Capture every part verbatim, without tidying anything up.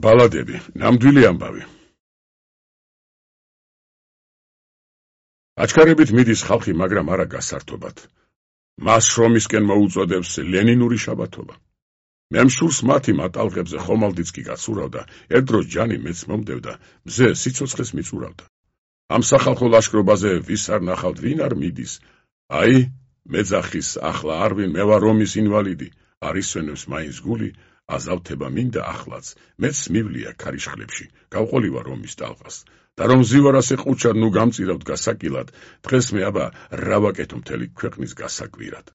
ბალადები, ნამდვილი ამბავი. აჩქარებით მიდის ხალხი, მაგრამ არა გასართობად. მას შრომისკენ მოუწოდებს ლენინური შაბათობა. მე მშურს მათი მატალღებზე ხომალდიც კი გაცურავდა, ერთ დროს ჯანი მეც მომდევდა, მზე სიცოცხლეს მიწურავდა. ამ სახალხო ლაშქრობაზე ვის არ ნახავთ, ვინ არ მიდის? აი, მეძახის ახლა არ ვინ, მე ვარ რომის ინვალიდი, არ ისვენებს მაინც გული, აზავთება მინდა ახლაც, მეც მივლია ქარიშხლებში, გავყოლივა რომის ტალღას. და რომ ზივარას ეყუჩად ნუ გამწირავთ გასაკილად, დღეს მე აბა რა ვაკეთო მთელი ქვეყნის გასაკვირად.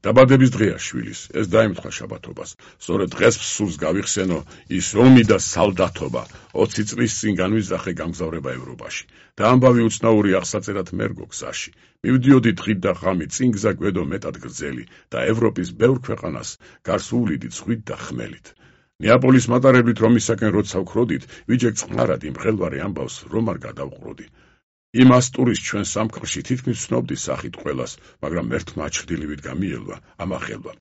დაბადების დღეა შვილის, ეს დაემთხვა შაბათობას, სწორედ დღეს სულს გავიხსენო ის ომი და სალდათობა, ოცი წლის წინ განვიზახე გამგზავრება ევროპაში. და ამბავი უცნაური აღსაწერად მერგო გზაში. მივდიოდი დღით და ღამით, წინ გზა გვედო მეტად გრძელი და ევროპის ბევრ ქვეყანას გარს უვლიდით ხვით და ხმელით. ნეაპოლის მატარებლით რომისაკენ როცა ვქროდით, ვიჯექ წყნარად იმ ხელვარე ამბავს რომ არ გადავყროდი. იმ ასტურის ჩვენ სამკრში თითქმის ვცნობდი სახით ყველას, მაგრამ ერთმა აჩრდილივით გამიელვა, ამახელვა.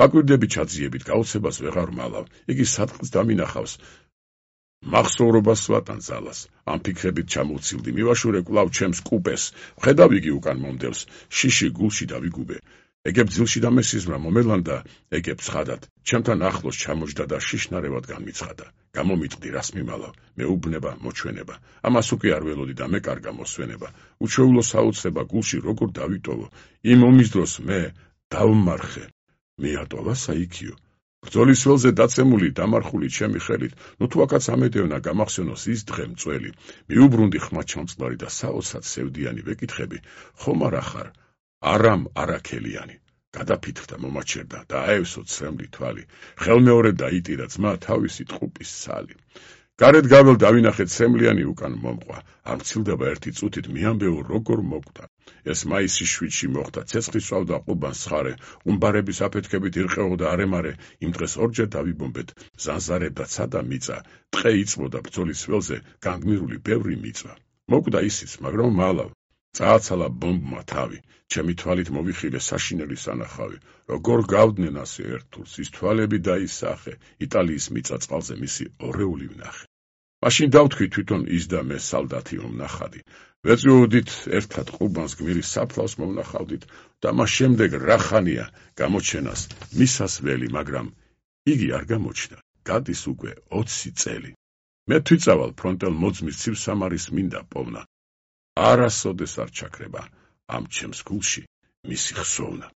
ვაკვირდები ჩაძიებით, გაუცებას ვეღარ მალავ, იგი სადღაც დამინახავს. მახსოვრობას ვატან ძალას, ამ ფიქრებით ჩამოვცილდი, მივაშურე კვლავ ჩემს კუპეს, ვხედავ იგი უკან მომდევს, შიში გულში დავიგუბე. ეგებ ძილში და მესიზმრა მომელანდა, ეგებ ცხადად, ჩემთან ახლოს ჩამოჯდა და შიშნარევად განმიცხადა. გამომიტყდი, რას მიმალავ, მეუბნება, მოჩვენება, ამას უკვე არ ველოდი და მე კარგა მოსვენება. უჩვეულო საოცრება გულში როგორ დავიტოვო, იმ ომის დროს მე დავმარხე, მიატოვა საიქიო. ბრძოლის ველზე დაცემული დამარხული ჩემი ხელით, ნუ თუ აქაც ამედევნა გამახსენოს ის დღე მწველი, მიუბრუნდი ხმა ჩამწყლარი და საოცრად სევდიანი ვეკითხები, ხომ არა ხარ არამ არაქელიანი. გადაფითრდა, მომაჩერდა და აევსო ცრემლი თვალი, ხელმეორედ დაიტირა ძმა თავისი ტყუპის სალი. გარეთ გაվել დავინახე ცრემლიანი უკან მომყვა, არ მცილდება ერთი წუთით მიამბეო როგორ მოკვდა. ეს მაისის შვიდში მოხდა, ცეცხლის სვავდა ყუბანს ცხარე, უმბარების აფეთქებით ირყეოდა არემარე, იმ დღეს ორჯერ დავიბომბეთ, ზანზარებდა ცადა მიწა, ტყე იწვოდა ბრძოლის ველზე, განგმირული ბევრი მიწა. მოკვდა ისიც, მაგრამ მალავ. წააცალა ბომბმა თავი, ჩემი თვალით მოვიხილე საშინელი სანახავი, როგორ გავდნენ ასე ერთულს, ის თვალები დაისახე, იტალიის მიწა-წყალზე მისი ორეული ვნახე. მაშინ დავთქვი თვითონ ის და მე სალდათი მომნახადი, ვეწვიოდით ერთად ყუბანს გმირის საფლავს მომნახავდით და მას შემდეგ რა ხანია გამოჩენას მისას ველი, მაგრამ იგი არ გამოჩნდა, გადის უკვე ოცი წელი. მე თვიწავალ ფრონტელ მოძმის ცივსამარის მინდა პოვნა. არასოდეს არ ჩაქრება ამ ჩემს გულში მისი ხსოვნა.